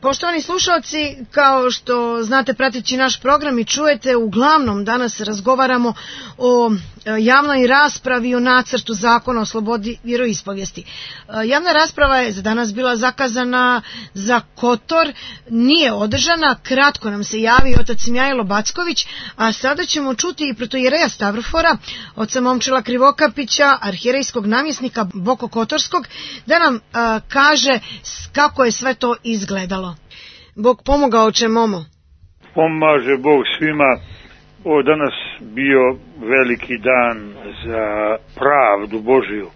Poštovani slušalci, kao što znate prateći naš program i čujete, uglavnom danas razgovaramo o javnoj raspravi o nacrtu zakona o slobodi vjeroispovijesti. Javna rasprava je za danas bila zakazana za Kotor, nije održana, kratko nam se javi otac Mihajlo Backović, a sada ćemo čuti i protoijereja Stavrofora, oca Momčila Krivokapića, arhijerejskog namjesnika Boko Kotorskog, da nam kaže kako je sve to izgledalo. Bog pomogao će Momo. Pomaže Bog svima. Ovo danas bio veliki dan za pravdu Božiju.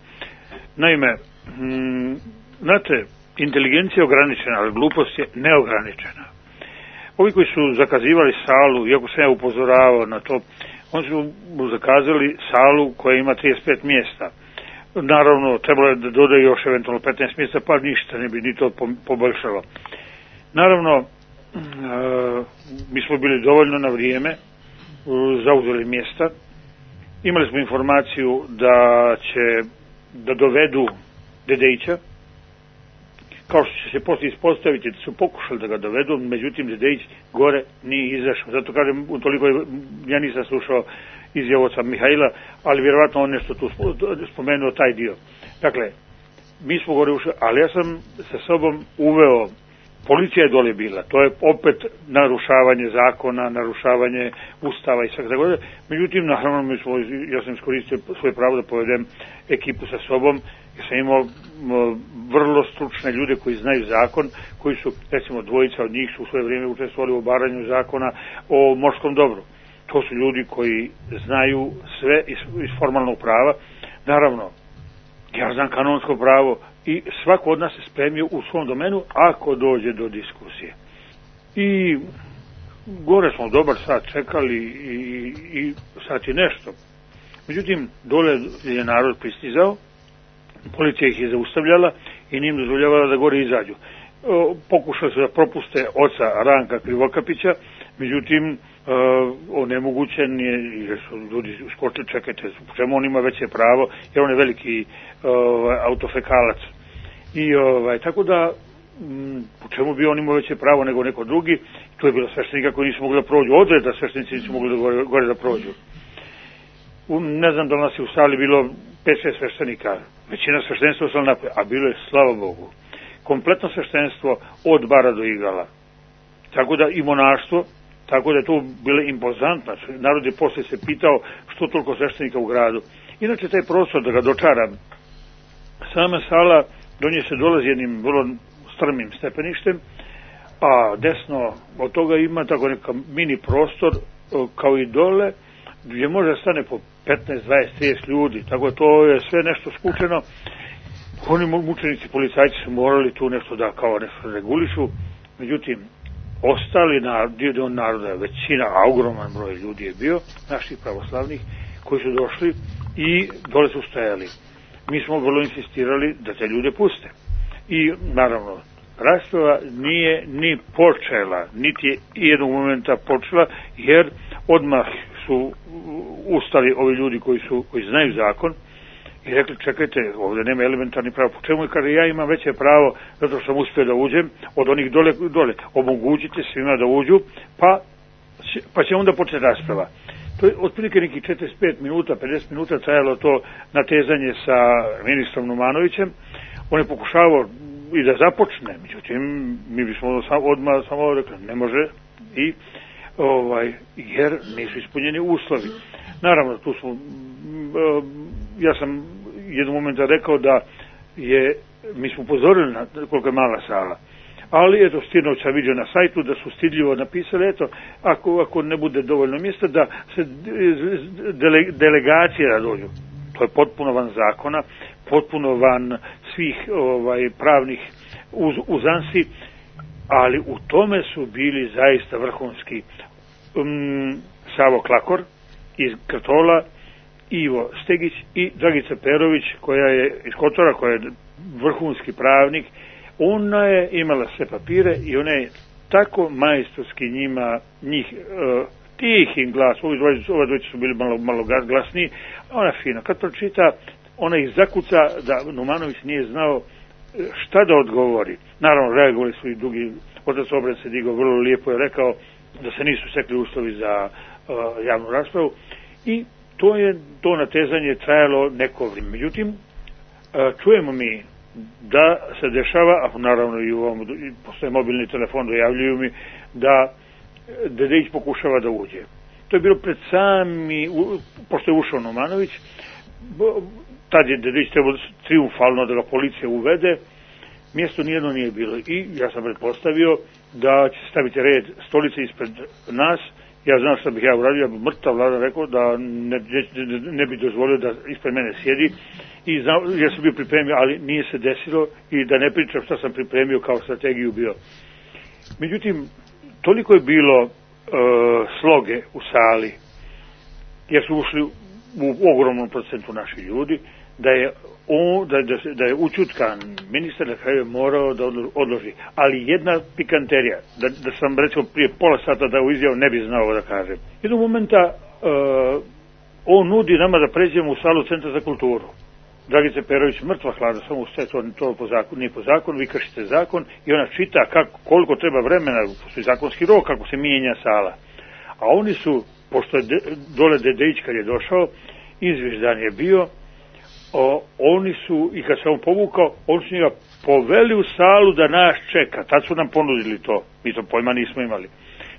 Naime, znate, inteligencija je ograničena, ali glupost je neograničena. Ovi koji su zakazivali salu, iako sam ja upozoravao na to, oni su zakazali salu koja ima 35 mjesta. Naravno, trebalo je da dodaju još eventualno 15 mjesta, pa ništa ne bi ni to poboljšalo. Naravno, mi smo bili dovoljno na vrijeme, zauzeli mjesta. Imali smo informaciju da dovedu Dedejića, kao što će se poslije ispostaviti da su pokušali da ga dovedu, međutim Dedejić gore nije izašao. Zato kažem, utoliko ja nisam slušao izjavu oca Mihajla, ali vjerovatno on nešto tu spomenuo taj dio. Dakle, mi smo gore ušli, ali ja sam sa sobom uveo, policija je dole bila, to je opet narušavanje zakona, narušavanje ustava i svega tako. Međutim, naravno, ja sam iskoristio svoje pravo da povedem ekipu sa sobom, jer sam imao vrlo stručne ljude koji znaju zakon, koji su, recimo, dvojica od njih su u svoje vrijeme učestvovali u obaranju zakona o morskom dobru. To su ljudi koji znaju sve iz formalnog prava. Naravno, ja znam kanonsko pravo i svako od nas se spremio u svom domenu ako dođe do diskusije. I gore smo dobar sat čekali i sat i nešto. Međutim, dole je narod pristizao, policija ih je zaustavljala i nije im dozvoljavala da gore izađu. Pokušali su da propuste oca Ranka Krivokapića, međutim, onemogućen je, jer su ljudi skočili, čekajte, po čemu on ima veće pravo, jer on je veliki autofekalac. I tako da, po čemu bi on imao veće pravo nego neko drugi, tu je bilo sveštenika koji nisu mogli da prođu, odreda sveštenici nisu mogli da gore da prođu. Ne znam da nas je u sali bilo 5-6 sveštenika, većina sveštenstva ostala napred, a bilo je, slava Bogu, kompletno sveštenstvo od bara do igala. Tako da i monaštvo, tako da je to bilo impozantno. Narod je poslije se pitao što toliko sveštenika u gradu. Inače, taj prostor, da ga dočaram, sama sala, do nje se dolazi jednim vrlo strmim stepeništem, a desno od toga ima tako neka mini prostor, kao i dole, gdje može stane po 15, 20, 30 ljudi. Tako da to je sve nešto skučeno. Oni mučenici, policajci su morali tu nešto da kao nešto regulišu. Međutim, ostali dio naroda, većina, a ogroman broj ljudi je bio, naših pravoslavnih, koji su došli i dole su stajali. Mi smo vrlo insistirali da te ljude puste. I, naravno, rasprava nije ni počela, niti je jednog momenta počela, jer odmah su ustali ovi ljudi koji znaju zakon i rekli, čekajte, ovdje nema elementarni pravo. Po čemu je, kaže, ja imam veće pravo zato što sam uspio da uđem od onih dole. Omogućite svima da uđu, pa će onda početi rasprava. To je otprilike nekih 45 minuta, 50 minuta trajalo to natezanje sa ministrom Numanovićem. On je pokušavao i da započne, međutim, mi bismo odmah samo rekli, ne može, jer nisu ispunjeni uslovi. Naravno, tu smo, ja sam jednog momenta rekao da mi smo upozorili na koliko je mala sala, ali eto, Stirnović sam vidio na sajtu da su stidljivo napisali, eto, ako ne bude dovoljno mjesta, da se delegacije da dođu. To je potpuno van zakona, potpuno van svih pravnih uzansi, ali u tome su bili zaista vrhunski Savo Klakor iz Krtola, Ivo Stegić i Dragica Perović koja je iz Kotora, koja je vrhunski pravnik. Ona je imala sve papire i ona je tako majstorski njih tihim glas, ove dvojice su bili malo glasniji, a ona fino, kad pročita, ona ih zakuca da Numanović nije znao šta da odgovori. Naravno, reagovali su i drugi, otac Obren se digao, vrlo lijepo je rekao da se nisu stekli uslovi za javnu raspravu i to natezanje trajalo neko vrijeme. Međutim, čujemo mi da se dešava, a naravno i u ovom postoje mobilni telefon, dojavljuju mi da Dedeić pokušava da uđe. To je bilo pred pošto je ušao Numanović, tad je Dedeić trebao triumfalno da ga policija uvede, mjesto nijedno nije bilo i ja sam pretpostavio da će staviti red stolice ispred nas. Ja znam što bih ja uradio, ja bih mrtav Vlada rekao da ne bi dozvolio da ispred mene sjedi i ja sam bio pripremio, ali nije se desilo i da ne pričam što sam pripremio kao strategiju bio. Međutim, toliko je bilo sloge u sali, jer su ušli u ogromnom procentu naši ljudi, da je učutkan ministar na kraju morao da odloži. Ali jedna pikanterija, da sam recimo prije pola sata dao izjavu, ne bi znao da kažem. Jednog momenta on nudi nama da pređemo u salu Centra za kulturu. Dragica Perović mrtva hladna, samo sve to po zakonu, nije po zakonu, vi kršite zakon i ona čita koliko treba vremena, postoji zakonski rok kako se mijenja sala. A oni su, pošto je dole Dedeić kad je došao, izviždan je bio, oni su, i kad se on povukao, oni su njega poveli u salu da nas čeka. Tad su nam ponudili to. Mi to pojma nismo imali.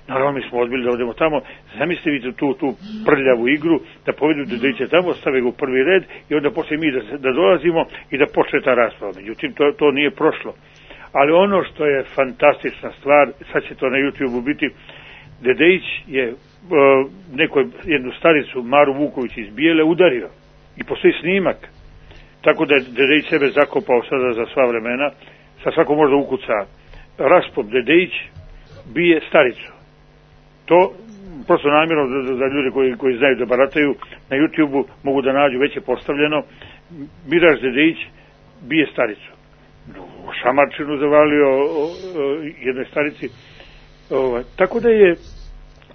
Naravno, mi smo odbili da odemo tamo. Zamislite tu prljavu igru, da povedu Dedeića tamo, stave ga u prvi red i onda poslije mi da dolazimo i da počne ta rasprava. Međutim, to nije prošlo. Ali ono što je fantastična stvar, sad će to na YouTube-u biti, Dedeić je jednu staricu, Maru Vuković iz Bijele, udario. I postoji snimak. Tako da je Dedeić sebe zakopao sada za sva vremena, sa svako možda ukuca raspop Dedeić bije staricu. To prosto namjerno za ljude koji znaju da barataju na YouTube-u mogu da nađu, već je postavljeno, Miraž Dedeić bije staricu. Šamarčinu zavalio jednoj starici. Tako da je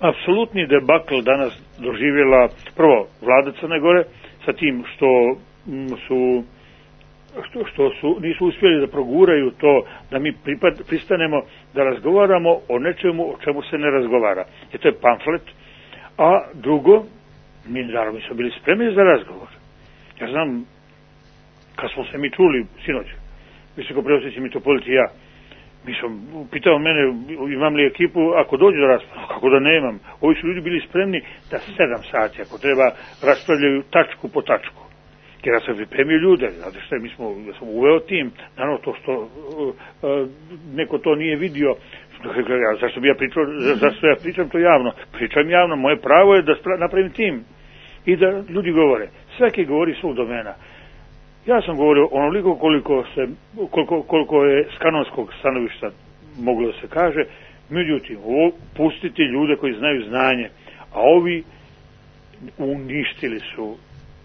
apsolutni debakl danas doživjela prvo vlada Crne Gore sa tim što nisu uspjeli da proguraju to da mi pristanemo da razgovaramo o nečemu o čemu se ne razgovara. I to je pamflet. A drugo, mi naravno smo bili spremni za razgovor. Ja znam, kad smo se mi čuli sinoć, visokopreosjećaj mitropolit i ja, pitao mene imam li ekipu ako dođe do rasprave, kako da nemam. Ovi su ljudi bili spremni da 7 sati ako treba raspravljaju tačku po tačku. Jer ja sam pripremio ljude, znate šta, ja sam uveo tim, naravno to što neko to nije vidio, zašto ja pričam to javno? Pričam javno, moje pravo je da napravim tim i da ljudi govore. Svaki govori svog domena. Ja sam govorio onoliko koliko je s kanonskog stanovišta moglo da se kaže, međutim, pustiti ljude koji znaju znanje, a ovi uništili su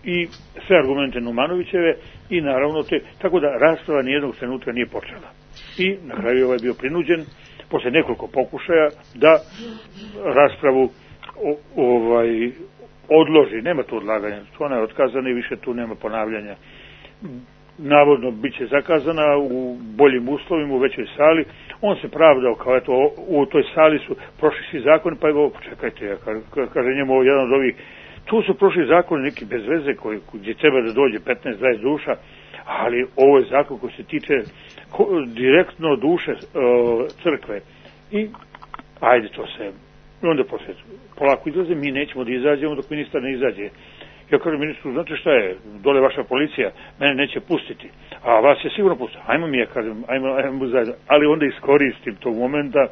i sve argumente Numanovićeve i naravno tako da rasprava nijednog trenutka nije počela. I na kraju ovaj bio prinuđen, posle nekoliko pokušaja, da raspravu odloži. Nema tu odlaganja, ona je otkazana i više tu nema ponavljanja. Navodno bit će zakazana u boljim uslovima, u većoj sali. On se pravdao kao eto, u toj sali su prošli svi zakoni, pa evo, čekajte, kaže njemu jedan od ovih, tu su prošli zakoni neki bez veze gdje treba da dođe 15-20 duša, ali ovo je zakon koji se tiče direktno duše crkve. I ajde to se, onda poslije polako izlaze, mi nećemo da izađemo dok ministar ne izađe. Ja kažem ministru, znate šta je, dole vaša policija, mene neće pustiti, a vas je sigurno pustiti. Ajmo mi, ja kažem, ajmo zajedno. Ali onda iskoristim tog momenta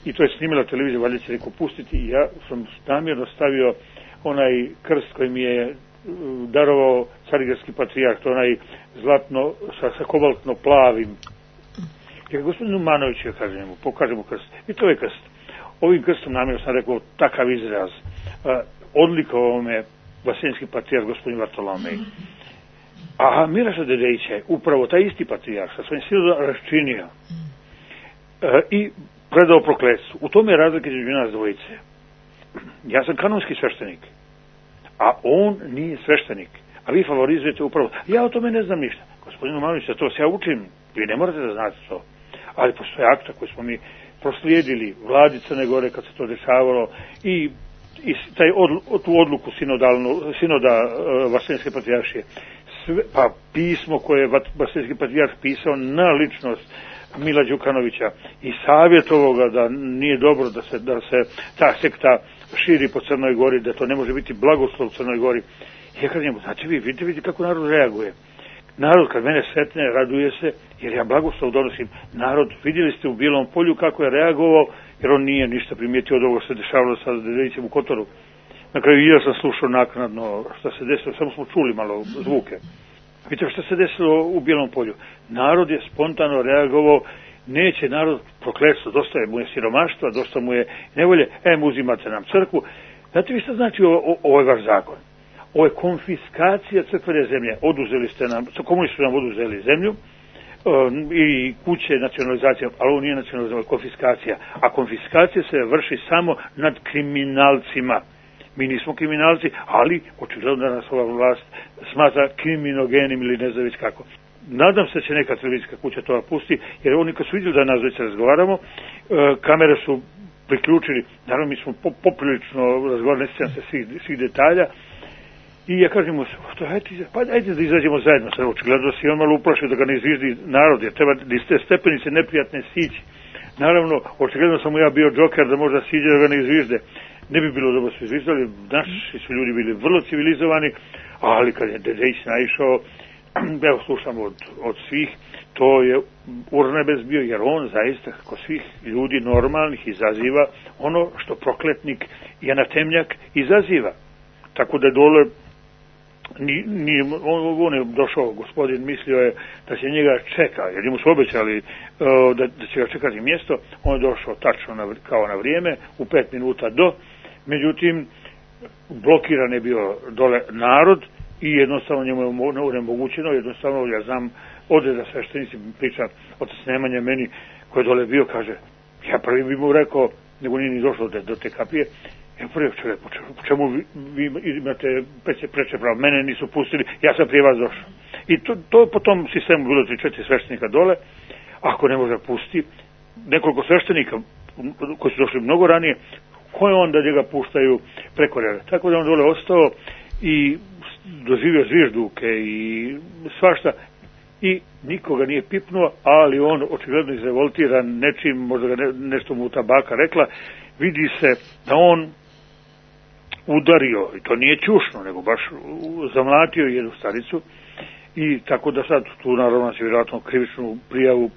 i to je snimila televizija, valjda će neko pustiti i ja sam namjerno stavio onaj krst koji mi je darovao Carigradski patrijarh, to onaj zlatno sa kobaltno plavim. Jer gospodinu Numanoviću, ja kažem mu, pokažem mu krst. I to je krst. Ovim krstom namjerno sam rekao takav izraz. Odlikovao me Vaseljenski patrijarh gospodin Vartolomej. A Miraša Dedeića je upravo taj isti patrijarh sa svojim silom raščinio i predao prokletstvu. U tome je razlika između nas dvojice. Ja sam kanonski sveštenik, a on nije sveštenik. A vi favorizujete upravo. Ja o tome ne znam ništa. Gospodin Numanović, to se ja učim. Vi ne morate da znate to. Ali postoje akta koje smo mi proslijedili vladi Crne Gore kad se to dešavalo i tu odluku sinoda Vaseljenske patrijaršije. Pa pismo koje je Vaseljenski patrijarh pisao na ličnost Mila Đukanovića i savjetovao ga da nije dobro da se ta sekta širi po Crnoj Gori, da to ne može biti blagoslov u Crnoj Gori. Ja kažem njemu, znate vi, vidite kako narod reaguje. Narod kad mene sretne, raduje se, jer ja blagoslov donosim. Narod, vidjeli ste u Bijelom Polju kako je reagovao, jer on nije ništa primijetio od ovoga što se dešavalo sa Dedejicem u Kotoru. Na kraju i ja sam slušao naknadno što se desilo, samo smo čuli malo zvuke. Vidite što se desilo u Bijelom Polju. Narod je spontano reagovao, neće narod prokletstvo, dosta mu je siromaštva, dosta mu je nevolje, uzimate nam crkvu. Znate vi što znači ovaj vaš zakon? Ovo je konfiskacija crkvene zemlje. Oduzeli ste nam, komunisti su nam oduzeli zemlju i kuće nacionalizacija, ali ovo nije nacionalizacija, ovo je konfiskacija. A konfiskacija se vrši samo nad kriminalcima. Mi nismo kriminalci, ali očigledno da nas ova vlast smatra kriminogenim ili ne znam već kako. Nadam se da će neka televizijska kuća to pusti, jer oni kad su vidjeli da nas već razgovaramo, kamere su priključili, naravno mi smo poprilično razgovarali, ne sjećam se svih detalja, i ja kažem mu, ajde da izađemo zajedno, sad očigledno da si on malo uplašio da ga ne izviždi narod, jer treba da iz te stepenice neprijatne sići. Naravno, očigledno sam mu ja bio džoker da možda siđe da ga ne izvižde. Ne bi bilo dobro su izviždali, naši su ljudi bili vrlo civilizovani, ali kad je Dedejić naišao, evo slušam od svih, to je urnebes bio, jer on zaista, kako svih ljudi normalnih, izaziva ono što prokletnik i anatemnjak izaziva. Tako da dole on je došao, gospodin mislio je da će njega čeka, jer mu su obećali da će ga čekati mjesto, on je došao tačno kao na vrijeme, u 5 minuta do, međutim blokiran je bio dole narod i jednostavno njemu je onemogućeno, jednostavno ja znam odreda sveštenici, priča otac Nemanja meni koji je dole bio, kaže, ja prvi bi mu rekao, nego nije ni došlo do te kapije, ja prvi čovjek, po čemu vi imate preče pravo, mene nisu pustili, ja sam prije vas došao. I to po tom sistemu bilo 3-4 sveštenika dole, ako ne može pusti, nekoliko sveštenika koji su došli mnogo ranije, koje onda njega puštaju preko reda. Tako da on dole ostao i doživio zvižduke i svašta i nikoga nije pipnuo, ali on očigledno izrevoltiran nečim, možda ga nešto mu tabaka rekla, vidi se da on udario, i to nije ćušno, nego baš zamlatio jednu staricu i tako da sad tu naravno će vjerojatno krivičnu prijavu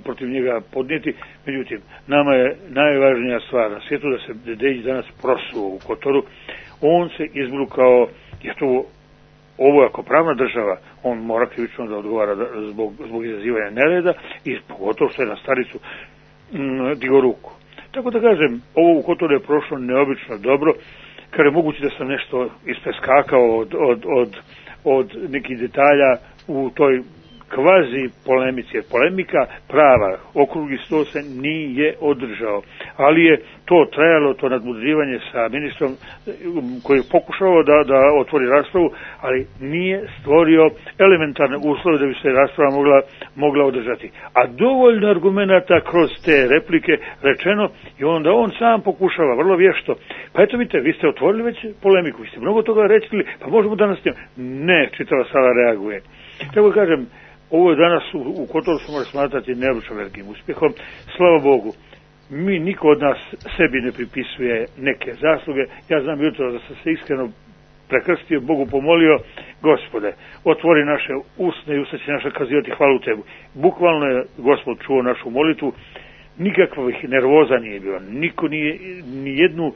protiv njega podnijeti. Međutim, nama je najvažnija stvar na svijetu da se Dedejić danas prosuo u Kotoru. On se izbrukao, jer to ovo je ako pravna država, on mora krivično da odgovara zbog izazivanja nereda i pogotovo što je na staricu digao ruku. Tako da kažem, ovo u Kotoru je prošlo neobično dobro, kada je moguće da sam nešto ispeskakao od nekih detalja u toj kvazi polemici, jer polemika prava, okrugli sto se nije održao, ali je to trajalo, to nadmudrivanje sa ministrom koji je pokušao da otvori raspravu, ali nije stvorio elementarne uslove da bi se rasprava mogla održati. A dovoljno argumenata kroz te replike rečeno i onda on sam pokušava vrlo vješto. Pa eto vidite, vi ste otvorili već polemiku, vi ste mnogo toga rekli, pa možemo danas ne, čitava sala reaguje. Tako kažem, ovo je danas u Kotoru se može smatrati neobično velikim uspjehom. Slava Bogu, niko od nas sebi ne pripisuje neke zasluge. Ja znam jutro da sam se iskreno prekrstio, Bogu pomolio, Gospode, otvori naše usne i usta će naša kazivati hvalu Tebi. Bukvalno je Gospod čuo našu molitvu, nikakvih nervoza nije bilo, niko nije ni jednu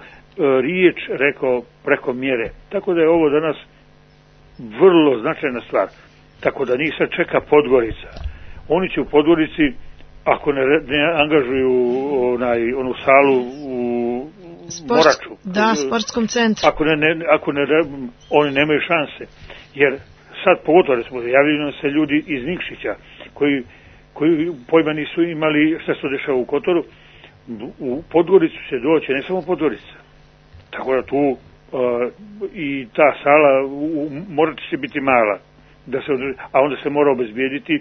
riječ rekao preko mjere. Tako da je ovo danas vrlo značajna stvar. Tako da njih sad čeka Podgorica. Oni će u Podgorici, ako ne angažuju onu salu u Moraču. Da, sportskom centru. Oni nemaju šanse. Jer sad pogotovo recimo javljaju se ljudi iz Nikšića koji pojma nisu imali šta se dešava u Kotoru. U Podgoricu će doći, ne samo Podgorica. Tako da tu i ta sala u Moraču će biti mala. A onda se mora obezbijediti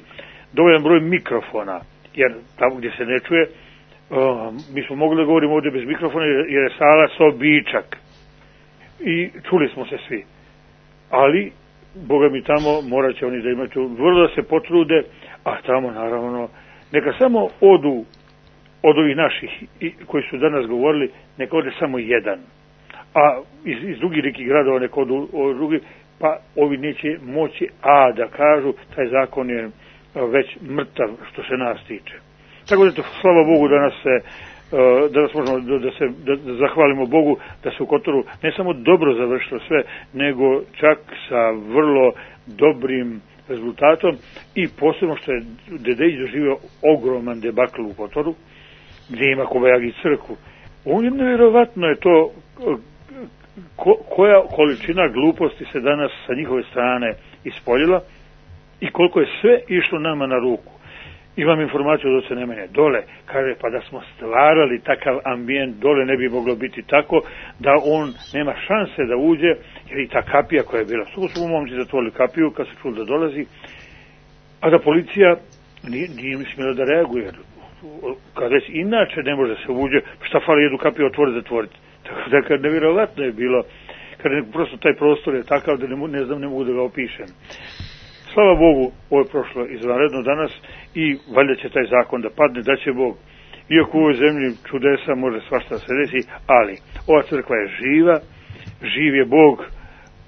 dovoljan broj mikrofona, jer tamo gdje se ne čuje, mi smo mogli da govorimo ovdje bez mikrofona jer je sala sobičak i čuli smo se svi, ali Boga mi tamo morat će oni da imaju vrlo da se potrude, a tamo naravno neka samo odu od ovih naših koji su danas govorili, neka ode samo jedan, a iz drugih nekih gradova neka odu drugi, pa ovi neće moći da kažu taj zakon je već mrtav što se nas tiče. Tako da, slava Bogu, danas možemo da zahvalimo Bogu da se u Kotoru ne samo dobro završilo sve, nego čak sa vrlo dobrim rezultatom i posebno što je Dedeić doživio ogroman debakl u Kotoru, gdje ima Kobajagi crkvu. Nevjerovatno je to koja količina gluposti se danas sa njihove strane ispoljila i koliko je sve išlo nama na ruku. Imam informaciju od oca Nemanje dole, kaže pa da smo stvarali takav ambijent dole ne bi moglo biti tako da on nema šanse da uđe, jer i ta kapija koja je bila, su mu momci zatvorili kapiju kad se čuli da dolazi, a da policija nije smjela da reaguje, kad već inače ne može da se uđe, šta fali jednu kapiju otvoriti, zatvoriti. Tako da kad nevjerovatno je bilo, kad prosto taj prostor je takav da ne mogu da ga opišem. Slava Bogu, ovo je prošlo izvanredno danas i valjda će taj zakon da padne, da će Bog. Iako u ovoj zemlji čudesa može svašta se desi, ali ova crkva je živa, živ je Bog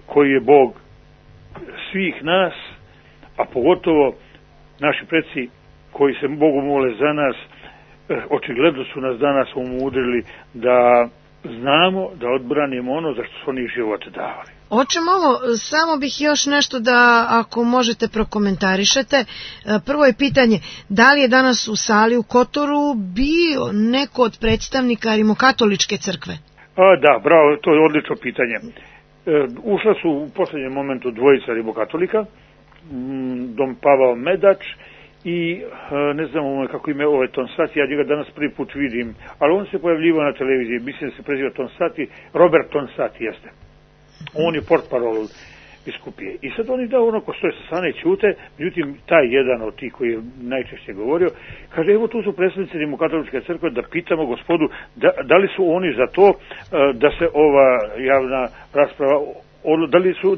koji je Bog svih nas, a pogotovo naši preci koji se Bogu mole za nas, očigledno su nas danas umudrili da znamo da odbranimo ono za što su oni život davali. Oče Momo, samo bih još nešto da, ako možete, prokomentarišete. Prvo je pitanje, da li je danas u sali u Kotoru bio neko od predstavnika Rimokatoličke crkve? Da, bravo, to je odlično pitanje. Ušla su u posljednjem momentu dvojica rimokatolika, dom Pavao Medač i ne znam kako ime ovaj Tonsati, ja njega danas prvi put vidim, ali on se pojavljivao na televiziji, mislim da se preziva Tonsati, Robert Tonsati jeste. On je portparol biskupije. I sad oni onako stoje sa strane ćute, međutim taj jedan od tih koji je najčešće govorio, kaže evo tu su predstavnici Rimokatoličke crkve da pitamo gospodu da li su oni za to da se ova javna rasprava,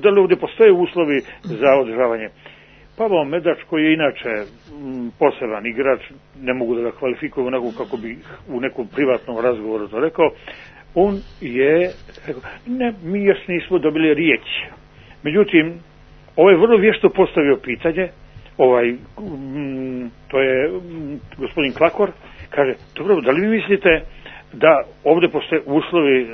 da li ovdje postoje uslovi za održavanje. Pavao Medač, koji je inače poseban igrač, ne mogu da ga kvalifikujem onako kako bi u nekom privatnom razgovoru to rekao, on je rekao, ne, mi još nismo dobili riječ. Međutim, ovaj vrlo vješto postavio pitanje, to je gospodin Klakor, kaže, dobro, da li vi mislite da ovdje postoje uslovi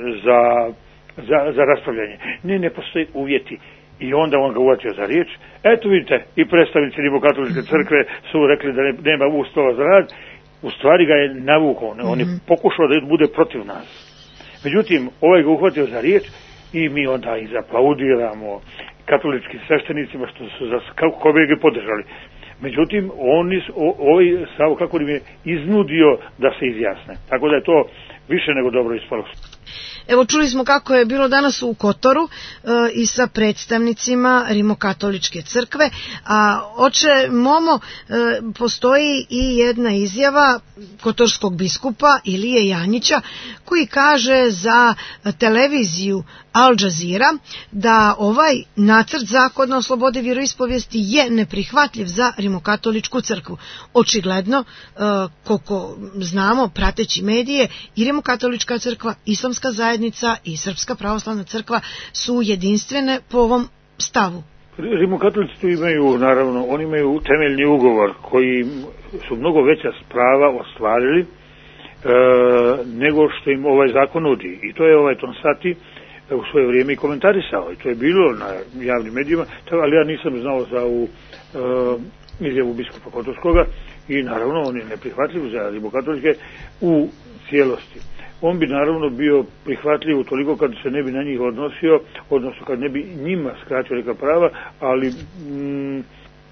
za raspravljanje? Ne postoje uvjeti. I onda on ga uvatio za riječ. Eto vidite, i predstavnici Rimokatoličke crkve su rekli da nema uslova za rad. U stvari ga je navukao, on je pokušao da bude protiv nas. Međutim, ovaj ga uhvatio za riječ i mi onda i zaplaudiramo katoličkim sveštenicima što su kako bi ga podržali. Međutim, ovaj Savo kako im je iznudio da se izjasne. Tako da je to više nego dobro ispalo. Evo, čuli smo kako je bilo danas u Kotoru i sa predstavnicima Rimokatoličke crkve, a oče Momo, postoji i jedna izjava kotorskog biskupa Ilije Janjića koji kaže za televiziju Al Jazeera da ovaj nacrt zakona o slobodi vjeroispovijesti je neprihvatljiv za Rimokatoličku crkvu. Očigledno, koliko znamo, prateći medije, i Rimokatolička crkva, Islamska zajednica i Srpska pravoslavna crkva su jedinstvene po ovom stavu. Rimokatolici tu imaju, naravno, oni imaju temeljni ugovor koji su mnogo veća prava ostvarili nego što im ovaj zakon nudi. I to je ovaj Tonsati u svoje vrijeme i komentarisao. I to je bilo na javnim medijima, ali ja nisam znao za izjavu biskupa Kotorskoga i naravno on je neprihvatljiv za rimokatolike u cijelosti. On bi naravno bio prihvatljiv toliko kad se ne bi na njih odnosio, odnosno kad ne bi njima skratio neka prava, ali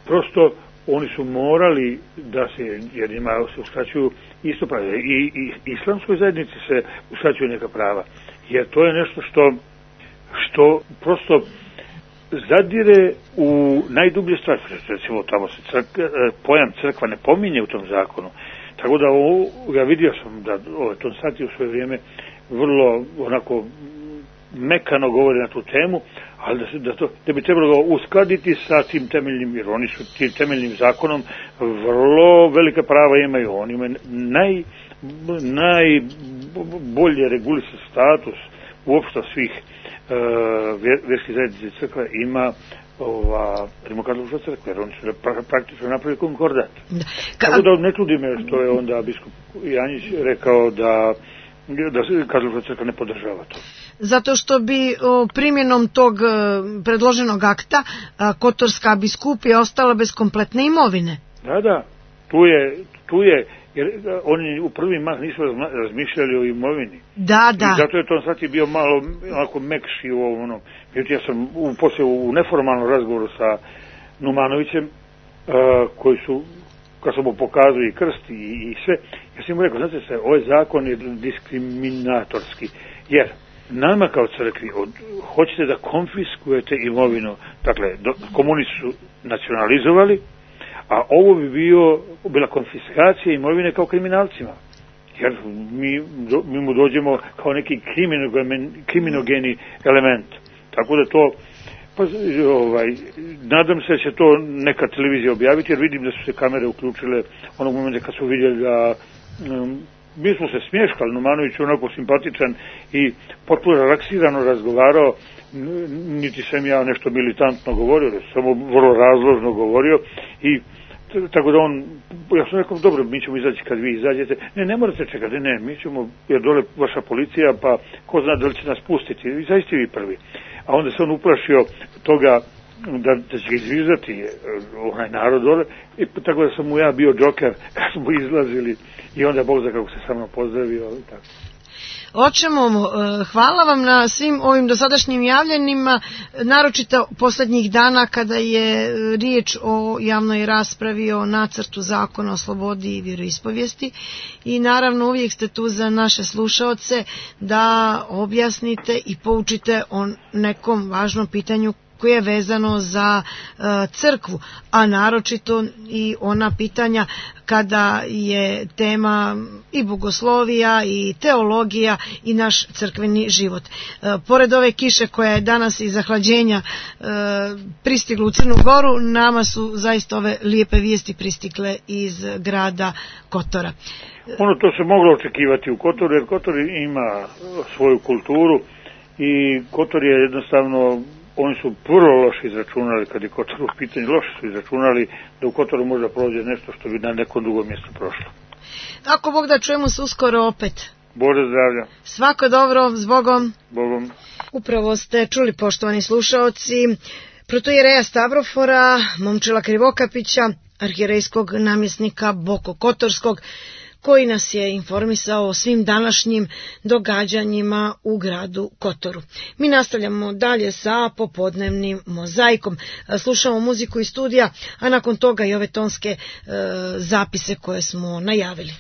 prosto oni su morali da se, jer njima se uskraćuju isto prava. I islamskoj zajednici se uskraćuju neka prava. Jer to je nešto što prosto zadire u najdublje stvari. Recimo, tamo se pojam crkva ne pominje u tom zakonu. Tako da ja vidio sam da Ton Sati u svoje vrijeme vrlo onako mekano govori na tu temu, ali da bi trebalo uskladiti sa tim temeljnim, jer oni su tim temeljnim zakonom vrlo velika prava imaju. Oni imaju najbolje regulisan status uopšte svih vjerskih zajednica crkva ima Rimokatolička crkva, jer oni su praktično napravili konkordat. Tako da ne čudi me što je onda biskup Janjić rekao da Katolička crkva ne podržava to. Zato što bi primjenom tog predloženog akta Kotorska biskupija ostala bez kompletne imovine. Da, tu je, jer oni u prvi mah nisu razmišljali o imovini. Da. I zato je Ton Sati bio malo onako mekši u ovom. Ja sam poslije u neformalnom razgovoru sa Numanovićem, koji su, kad sam mu pokazao i krst i sve, ja sam mu rekao, znate se, ovaj zakon je diskriminatorski, jer nama kao crkvi hoćete da konfiskujete imovinu, dakle, komunisti su nacionalizovali, a ovo bi bila konfiskacija imovine kao kriminalcima. Jer mi mu dođemo kao neki kriminogeni element. Tako da to, nadam se da će to neka televizija objaviti, jer vidim da su se kamere uključile onog momenta kad su vidjeli da mi smo se smješkali, Numanović je onako simpatičan i potpuno relaksirano razgovarao, niti sam ja nešto militantno govorio, samo vrlo razložno govorio i tako da ja sam rekao, dobro, mi ćemo izaći kad vi izađete. Ne morate čekati, mi ćemo, jer dole vaša policija, pa ko zna da li će nas pustiti, izađite vi prvi. A onda se on uplašio toga da će ga izvizati onaj narod dole, i tako da sam mu ja bio džoker kad smo izlazili i onda Bog zna kako se sa mnom pozdravio i tako. Očemo, hvala vam na svim ovim dosadašnjim javljenima, naročito posljednjih dana kada je riječ o javnoj raspravi o nacrtu zakona o slobodi i vjeroispovijesti i naravno uvijek ste tu za naše slušaoce da objasnite i poučite o nekom važnom pitanju koje je vezano za crkvu, a naročito i ona pitanja kada je tema i bogoslovija i teologija i naš crkveni život. Pored ove kiše koja je danas iz zahlađenja pristigla u Crnu Goru, nama su zaista ove lijepe vijesti pristigle iz grada Kotora. To se moglo očekivati u Kotoru, jer Kotor ima svoju kulturu i Kotor je jednostavno, oni su vrlo loše izračunali, kad je Kotor u pitanju, loše su izračunali da u Kotoru možda prođe nešto što bi na nekom drugom mjestu prošlo. Ako Bog da, čujemo se uskoro opet. Bože zdravlja. Svako dobro, s Bogom. Bogom. Upravo ste čuli, poštovani slušaoci, protoijereja Stavrofora, Momčila Krivokapića, arhijerejskog namjesnika Boko Kotorskog, koji nas je informisao o svim današnjim događanjima u gradu Kotoru. Mi nastavljamo dalje sa popodnevnim mozaikom. Slušamo muziku iz studija, a nakon toga i ove tonske zapise koje smo najavili.